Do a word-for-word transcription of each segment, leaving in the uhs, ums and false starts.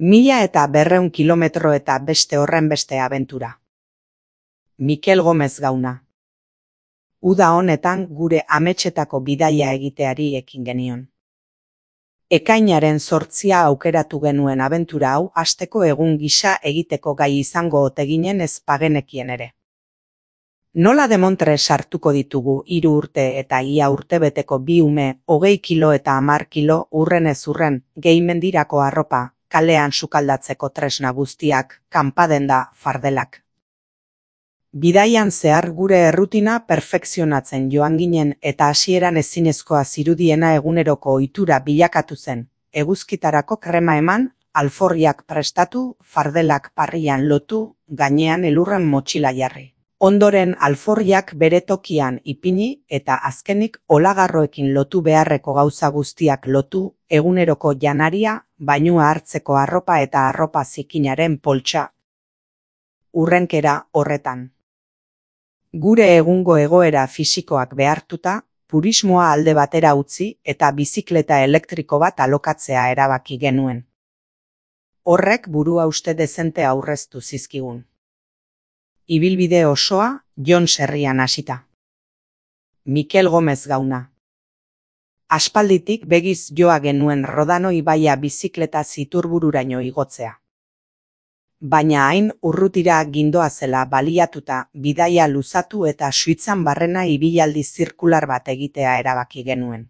Mila eta berreun kilometro eta beste horren beste abentura. Mikel Gomez Gauna. Uda honetan gure ametsetako bidaia egiteari ekin genion. Ekainaren zortzia aukeratu genuen abentura hau hasteko egun gisa egiteko gai izango ote ginen ez pagenekien ere. Nola demontre sartuko ditugu hiru urte eta ia urtebeteko bi ume, hogei kilo eta hamar kilo urrenez urren, gehimendirako arropa, kalean sukaldatzeko tresna guztiak, kanpadenda, fardelak. Bidaian zehar gure errutina perfekzionatzen joan ginen eta hasieran ezinezkoa zirudiena eguneroko ohitura bilakatu zen. Eguzkitarako krema eman, alforriak prestatu, fardelak parrian lotu, gainean elurren motxila jarri. Ondoren alforriak bere tokian ipini eta azkenik olagarroekin lotu beharreko gauza guztiak lotu, eguneroko janaria, bainua hartzeko arropa eta arropa zikinaren poltsa. Urrenkera horretan. Gure egungo egoera fisikoak behartuta, purismoa alde batera utzi eta bizikleta elektriko bat alokatzea erabaki genuen. Horrek burua uste dezente aurreztu zizkigun. Ibilbide osoa Jon Serrian hasita. Mikel Gomez Gauna. Aspalditik begiz joa genuen Rodano ibaia bizikleta ziturburaino igotzea. Baina hain urrutira gindoazela baliatuta bidaia luzatu eta Suitzan barrena ibilaldi zirkular bat egitea erabaki genuen.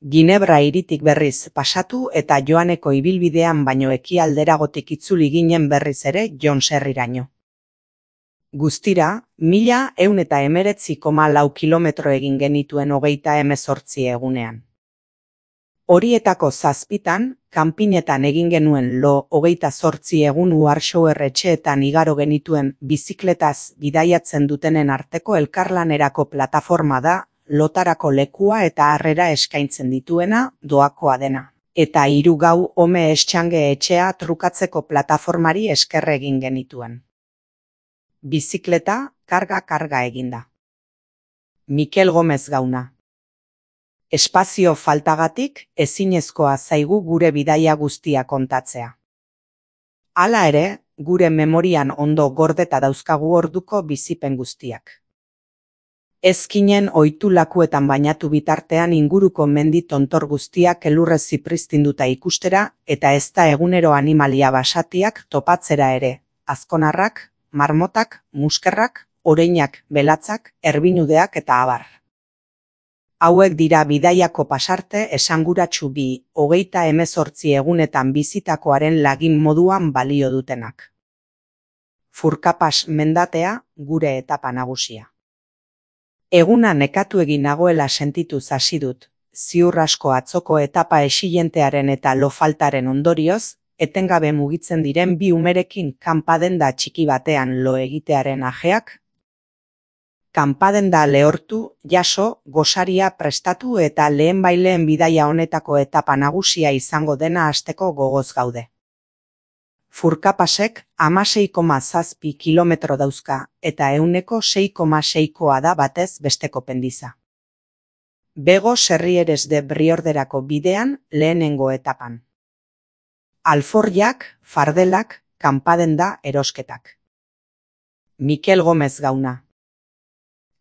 Ginebra hiritik berriz pasatu eta joaneko ibilbidean baino ekialderagotik itzuli ginen berriz ere Jon Serriraino. Guztira, mila ehun eta hemeretzi koma lau kilometro egin genituen hogeita hemezortzi egunean. Horietako zazpitan, kanpinetan egin genuen lo hogeita zortzi egun Warschauer etxeetan igaro genituen bizikletaz bidaiatzen dutenen arteko elkarlanerako plataforma da, lotarako lekua eta harrera eskaintzen dituena, doakoa dena. Eta hiru gau Home Exchange etxea trukatzeko plataformari esker egin genituen. Bizikleta, karga-karga eginda. Mikel Gomez Gauna. Espazio faltagatik ezinezkoa zaigu gure bidaia guztia kontatzea. Hala ere, gure memorian ondo gordeta dauzkagu orduko bizipen guztiak. Ezkinen ohitu lakuetan bainatu bitartean inguruko mendi tontor guztiak elurrez zipristinduta ikustera eta ez da egunero animalia basatiak topatzera ere, azkonarrak, marmotak, muskerrak, oreinak, belatzak, erbinudeak eta abar. Hauek dira bidaiako pasarte esanguratsu bi, hogeita hemezortzi egunetan bizitakoaren lagin moduan balio dutenak. Furkapas mendatea, gure etapa nagusia. Eguna nekatu egin nagoela sentituz hasi dut, ziur asko atzoko etapa exilentearen eta lo faltaren ondorioz, etengabe mugitzen diren bi umerekin kanpadenda txiki batean lo egitearen ajeak, kanpadenda lehortu, jaso, gosaria prestatu eta lehenbaileen bidaia honetako etapa nagusia izango dena hasteko gogoz gaude. Furkapasek hamasei koma zazpi kilometro dauzka eta ehuneko sei koma seikoa da batez besteko pendiza. Bego Serrieres de Briorderako bidean lehenengo etapan. Alforriak, fardelak, kanpadenda erosketak. Mikel Gomez Gauna.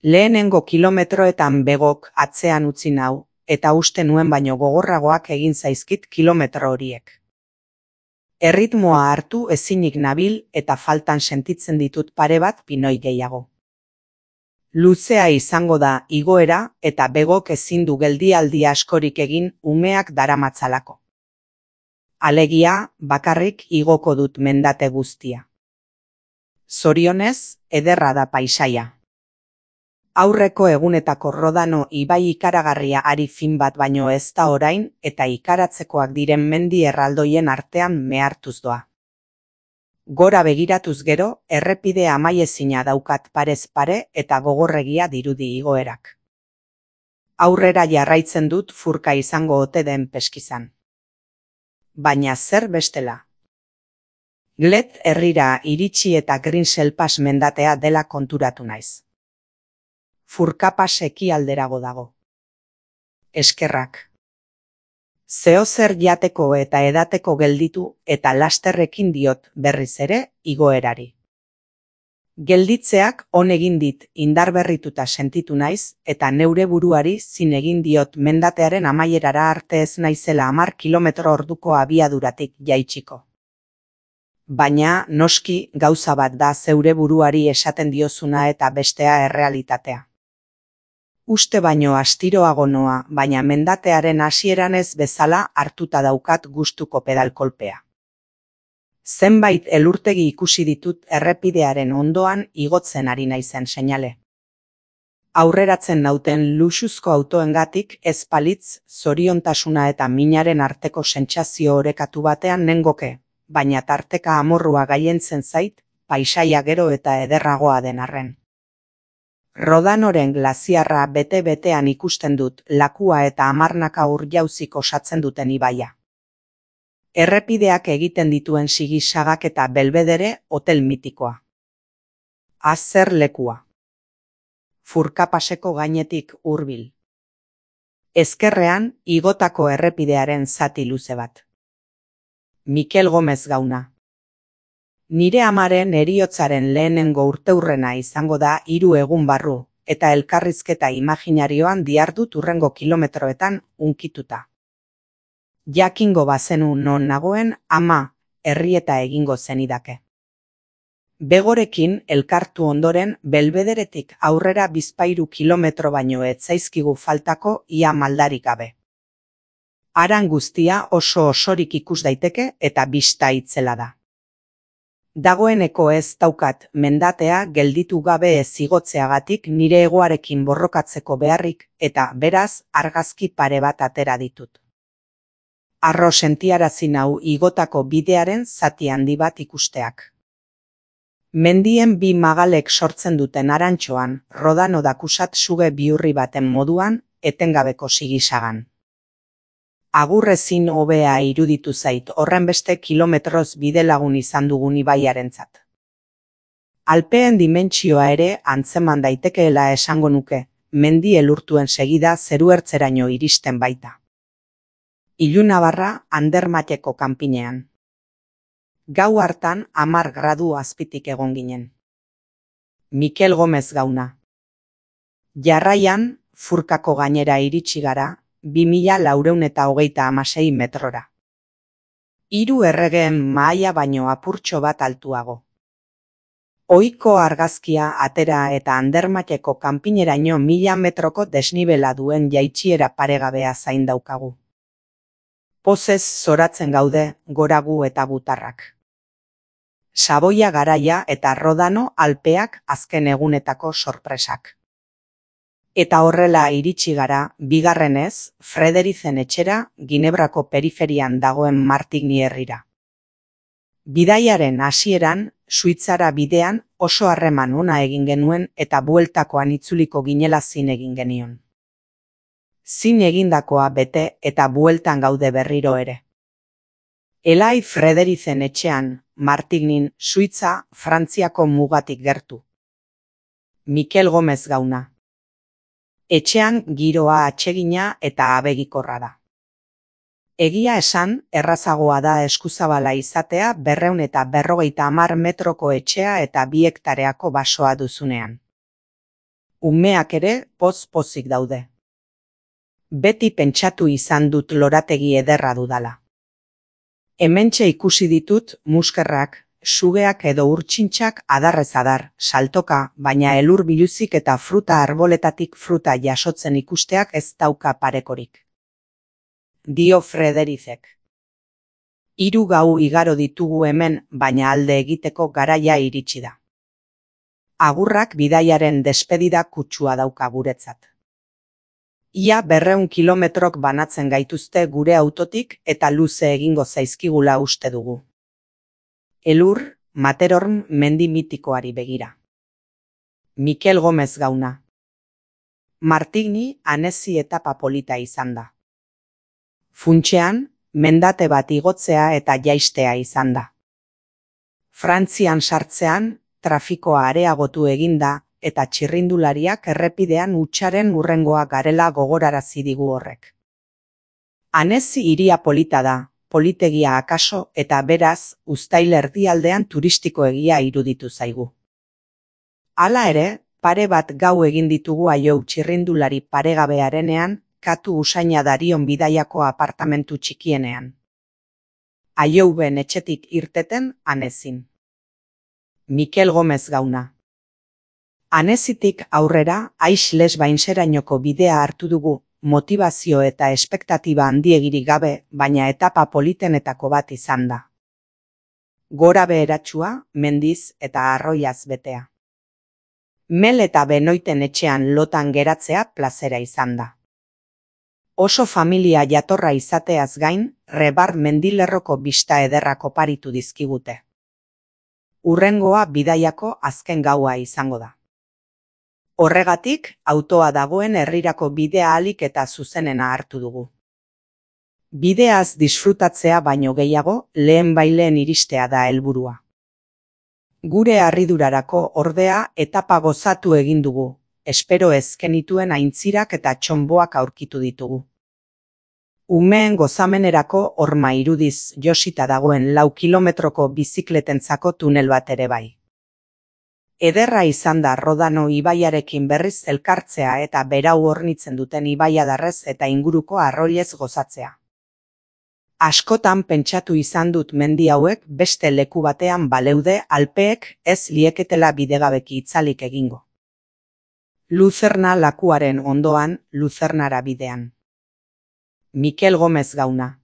Lehenengo kilometroetan begok atzean utzi nau, eta uste nuen baino gogorragoak egin zaizkit kilometro horiek. Erritmoa hartu ezinik nabil eta faltan sentitzen ditut pare bat pinoi gehiago. Luzea izango da igoera eta begok ezin du geldialdi askorik egin umeak daramatzalako. Alegia, bakarrik igoko dut mendate guztia. Zorionez, ederra da paisaia. Aurreko egunetako Rodano ibai ikaragarria ari fin bat baino ez da orain eta ikaratzekoak diren mendi erraldoien artean mehartuz doa. Gora begiratuz gero, errepide amaiezina daukat parez pare eta gogorregia dirudi igoerak. Aurrera jarraitzen dut furka izango ote den peskizan. Baina zer bestela? Glet herrira iritsi eta Grinselpas mendatea dela konturatu naiz. Furkapas ekialderago dago. Eskerrak. Zeozer jateko eta edateko gelditu eta lasterrekin diot berriz ere igoerari. Gelditzeak on egin dit indarberrituta sentitu naiz eta neure buruari zin egin diot mendatearen amaierara arte ez naizela hamar kilometro orduko abiaduratik jaitsiko. Baina, noski, gauza bat da zeure buruari esaten diozuna eta bestea errealitatea. Uste baino astiroago noa, baina mendatearen hasieran ez bezala hartuta daukat gustuko pedalkolpea. Zenbait elurtegi ikusi ditut errepidearen ondoan igotzen ari naizen seinale. Aurreratzen nauten luxuzko autoengatik ez palitz, zoriontasuna eta minaren arteko sentsazio orekatu batean nengoke, baina tarteka amorrua gailentzen zait, paisaia gero eta ederragoa den arren. Rodanoren glaziarra bete-betean ikusten dut lakua eta hamarnaka ur-jauzik osatzen duten ibaia. Errepideak egiten dituen sigisagak eta Belvedere hotel mitikoa. Azer lekua. Furkapaseko gainetik hurbil. Ezkerrean igotako errepidearen zati luze bat. Mikel Gomez Gauna. Nire amaren heriotzaren lehenengo urteurrena izango da hiru egun barru, eta elkarrizketa imaginarioan dihardut hurrengo kilometroetan unkituta. Jakingo bazenu non nagoen, ama, herrieta egingo zenidake. Begorekin elkartu ondoren Belbederetik aurrera bizpahiru kilometro baino ez zaizkigu faltako ia maldarik gabe. Haran guztia oso osorik ikus daiteke eta bista itzela da. Dagoeneko ez daukat mendatea gelditu gabe ez igotzeagatik nire egoarekin borrokatzeko beharrik eta beraz argazki pare bat atera ditut. Arro sentiarazi nau igotako bidearen zati handi bat ikusteak. Mendien bi magalek sortzen duten arantxoan, Rodano dakusat suge bihurri baten moduan, etengabeko sigisagan. Agurrezin hobea iruditu zait horrenbeste kilometroz bidelagun izan dugun ibaiarentzat. Alpeen dimentsioa ere antzeman daitekeela esango nuke, mendi elurtuen segida zeruertzeraino iristen baita. Ilunabarra Andermateko kanpinean. Gau hartan hamar gradu azpitik egon ginen. Mikel Gomez Gauna. Jarraian, Furkako gainera iritsi gara, bi mila laurehun eta hogeita hamasei metrora. Hiru erregeen mahaia baino apurtxo bat altuago. Ohiko argazkia atera eta Andermateko kanpineraino mila metroko desnibela duen jaitsiera paregabea zain daukagu. Pozez zoratzen gaude, goragu eta butarrak. Saboia garaia eta Rodano Alpeak azken egunetako sorpresak. Eta horrela iritsi gara, bigarrenez, Frederizen etxera, Ginebrako periferian dagoen Martigny herrira. Bidaiaren hasieran, Suitzara bidean oso harreman ona egin genuen eta bueltakoan itzuliko ginela zin egin genion. Zin egindakoa bete eta bueltan gaude berriro ere. Elai Frederizen etxean, Martignin, Suitza, Frantziako mugatik gertu. Mikel Gomez Gauna. Etxean giroa atsegina eta abegikorra da. Egia esan, errazagoa da eskuzabala izatea berrehun eta berrogeita hamar metroko etxea eta bi hektareako basoa duzunean. Umeak ere poz-pozik daude. Beti pentsatu izan dut lorategi ederra dudala. Hementxe ikusi ditut muskerrak, sugeak edo urtsintxak adarrez adar, saltoka, baina elur biluzik eta fruta arboletatik fruta jasotzen ikusteak ez dauka parekorik. Dio Frederizek. Hiru gau igaro ditugu hemen, baina alde egiteko garaia iritsi da. Agurrak bidaiaren despedida kutsua dauka guretzat. Ia berrehun kilometrok banatzen gaituzte gure autotik eta luze egingo zaizkigula uste dugu. Elur, Materorn mendi mitikoari begira. Mikel Gomez Gauna. Martigny anezi etapa polita izan da. Funtxean, mendate bat igotzea eta jaistea izan da. Frantzian sartzean, trafikoa areagotu eginda eta txirrindulariak errepidean hutsaren hurrengoa garela gogorarazi digu horrek. Anezi hiria polita da, politegia akaso eta beraz, uztail erdialdean turistikoegia iruditu zaigu. Hala ere, pare bat gau egin ditugu Aiou txirrindulari paregabearenean, katu usaina darion bidaiako apartamentu txikienean. Aiouben etxetik irteten Anezin. Mikel Gomez Gauna. Anezitik aurrera, Aix Les Bainzerainoko bidea hartu dugu, motivazio eta espektatiba handiegirik gabe, baina etapa politenetako bat izan da. Gora beheratsua, mendiz eta arroiaz betea. Mel eta Benoiten etxean lotan geratzea plazera izan da. Oso familia jatorra izateaz gain, Rebar mendilerroko bista ederrak oparitu dizkigute. Hurrengoa bidaiako azken gaua izango da. Horregatik, autoa dagoen herrirako bidea ahalik eta zuzenena hartu dugu. Bideaz disfrutatzea baino gehiago, lehen baileen iristea da helburua. Gure harridurarako ordea etapa gozatu egin dugu, espero ez genituen aintzirak eta txonboak aurkitu ditugu. Umeen gozamenerako horma irudiz josita dagoen lau kilometroko bizikletentzako tunel bat ere bai. Ederra izan da Rodano ibaiarekin berriz elkartzea eta berau hornitzen duten ibaiadarrez eta inguruko arroilez gozatzea. Askotan pentsatu izan dut mendi hauek beste leku batean baleude Alpeek ez lieketela bidegabeki itzalik egingo. Luzerna lakuaren ondoan, Luzernara bidean. Mikel Gomez Gauna.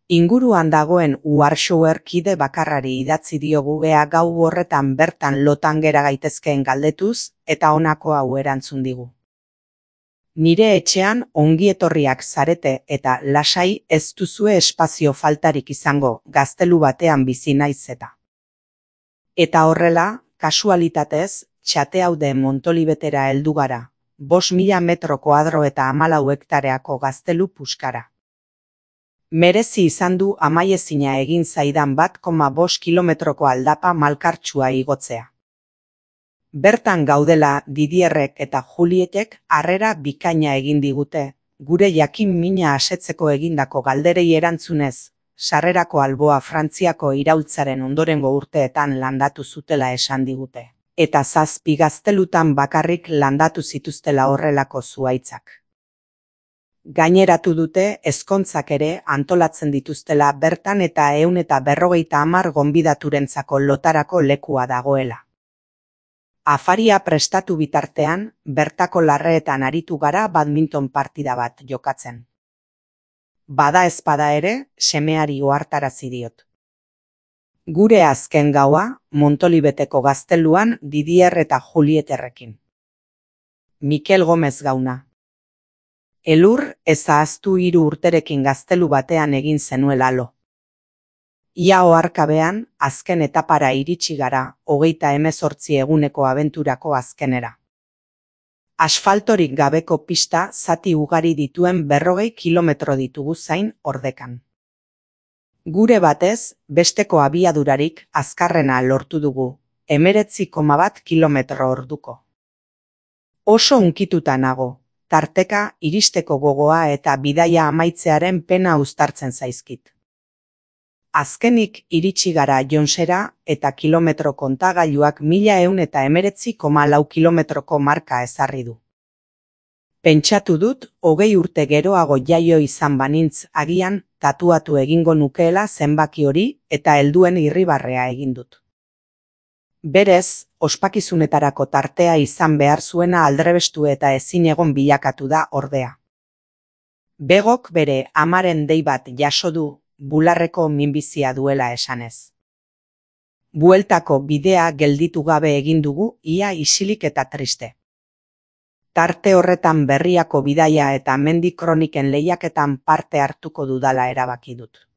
Inguruan dagoen Uharsoer kide bakarrari idatzi diogu ea gau horretan bertan lotan gera gaitezkeen galdetuz eta honako hau erantzun digu. Nire etxean ongietorriak zarete eta lasai ez duzue espazio faltarik izango gaztelu batean bizi naiz eta. Eta horrela, kasualitatez, Txateaude Montolibetera heldu gara, bost mila metro koadro eta hamalau hektareako gaztelu puskara. Merezi izan du amaiezina egin zaidan bat koma bost kilometroko aldapa malkartsua igotzea. Bertan gaudela Didierrek eta Julietek harrera bikaina egin digute, gure jakin mina asetzeko egindako galderei erantzunez, sarrerako alboa Frantziako iraultzaren ondorengo urteetan landatu zutela esan digute, eta zazpi gaztelutan bakarrik landatu zituztela horrelako zuhaitzak. Gaineratu dute ezkontzak ere antolatzen dituztela bertan eta ehun eta berrogeita hamar gonbidaturentzako lotarako lekua dagoela. Afaria prestatu bitartean, bertako larreetan aritu gara badminton partida bat jokatzen. Bada ezpada ere, semeari ohartarazi diot. Gure azken gaua, Montolibeteko gazteluan Didier eta Julieterrekin. Mikel Gomez Gauna. Elur ez ahaztu hiru urterekin gaztelu batean egin zenuela lo. Ia oharkabean, azken etapara iritsi gara, hogeita hemezortzi eguneko abenturako azkenera. Asfaltorik gabeko pista zati ugari dituen berrogei kilometro ditugu zain ordekan. Gure batez, besteko abiadurarik azkarrena lortu dugu, hemeretzi koma bat kilometro orduko. Oso hunkituta nago, tarteka iristeko gogoa eta bidaia amaitzearen pena uztartzen zaizkit. Azkenik iritsi gara Jonsera eta kilometro kontagailuak mila ehun eta hemeretzi koma lau kilometroko marka ezarri du. Pentsatu dut, hogei urte geroago jaio izan banintz agian tatuatu egingo nukeela zenbaki hori eta helduen irribarrea egin dut. Berez, ospakizunetarako tartea izan behar zuena aldrebestu eta ezin egon bilakatu da ordea. Begok bere amaren dei bat jaso du, bularreko minbizia duela esanez. Bueltako bidea gelditu gabe egin dugu, ia isilik eta triste. Tarte horretan berriako bidaia eta mendi kroniken lehiaketan parte hartuko dudala erabaki dut.